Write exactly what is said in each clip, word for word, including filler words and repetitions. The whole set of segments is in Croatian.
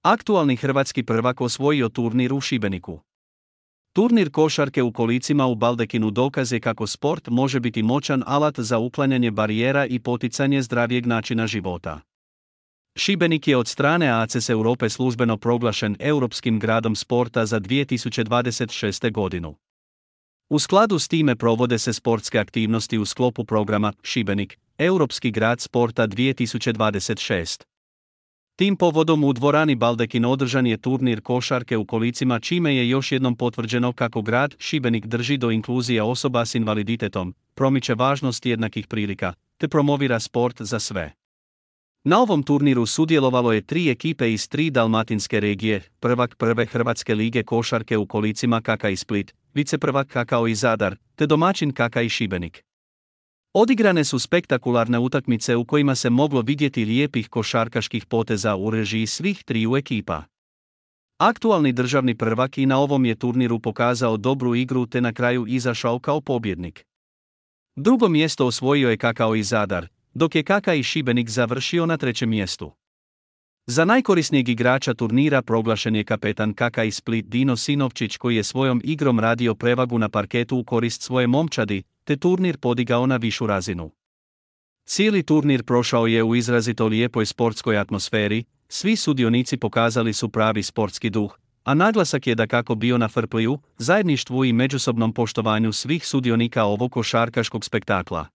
Aktualni hrvatski prvak osvojio turnir u Šibeniku. Turnir košarke u kolicima u Baldekinu dokaz je kako sport može biti moćan alat za uklanjanje barijera i poticanje zdravijeg načina života. Šibenik je od strane A C S Europe službeno proglašen Europskim gradom sporta za dvije tisuće dvadeset šeste. godinu. U skladu s time provode se sportske aktivnosti u sklopu programa Šibenik, Europski grad sporta dvije tisuće dvadeset šest. Tim povodom u dvorani Baldekin održan je turnir košarke u kolicima čime je još jednom potvrđeno kako grad Šibenik drži do inkluzije osoba s invaliditetom, promiče važnost jednakih prilika, te promovira sport za sve. Na ovom turniru sudjelovalo je tri ekipe iz tri dalmatinske regije, prvak prve Hrvatske lige košarke u kolicima K K i Split, viceprvak K K i Zadar, te domaćin K K i Šibenik. Odigrane su spektakularne utakmice u kojima se moglo vidjeti lijepih košarkaških poteza u režiji svih triju ekipa. Aktualni državni prvak i na ovom je turniru pokazao dobru igru te na kraju izašao kao pobjednik. Drugo mjesto osvojio je K K i Zadar, dok je K K i Šibenik završio na trećem mjestu. Za najkorisnijeg igrača turnira proglašen je kapetan K K i Split Dino Sinovčić koji je svojom igrom radio prevagu na parketu u korist svoje momčadi, te turnir podigao na višu razinu. Cijeli turnir prošao je u izrazito lijepoj sportskoj atmosferi, svi sudionici pokazali su pravi sportski duh, a naglasak je dakako bio na fair-playu, zajedništvu i međusobnom poštovanju svih sudionika ovog košarkaškog spektakla.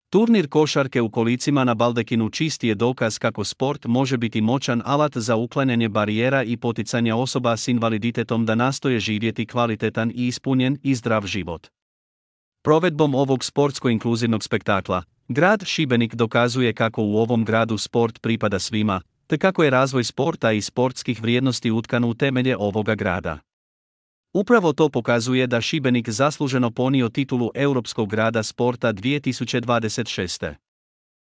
Turnir košarke u kolicima na Baldekinu čisti je dokaz kako sport može biti moćan alat za uklanjanje barijera i poticanje osoba s invaliditetom da nastoje živjeti kvalitetan i ispunjen i zdrav život. Provedbom ovog sportsko-inkluzivnog spektakla, grad Šibenik dokazuje kako u ovom gradu sport pripada svima, te kako je razvoj sporta i sportskih vrijednosti utkan u temelje ovoga grada. Upravo to pokazuje da Šibenik zasluženo ponio titulu Europskog grada sporta dvije tisuće dvadeset šeste.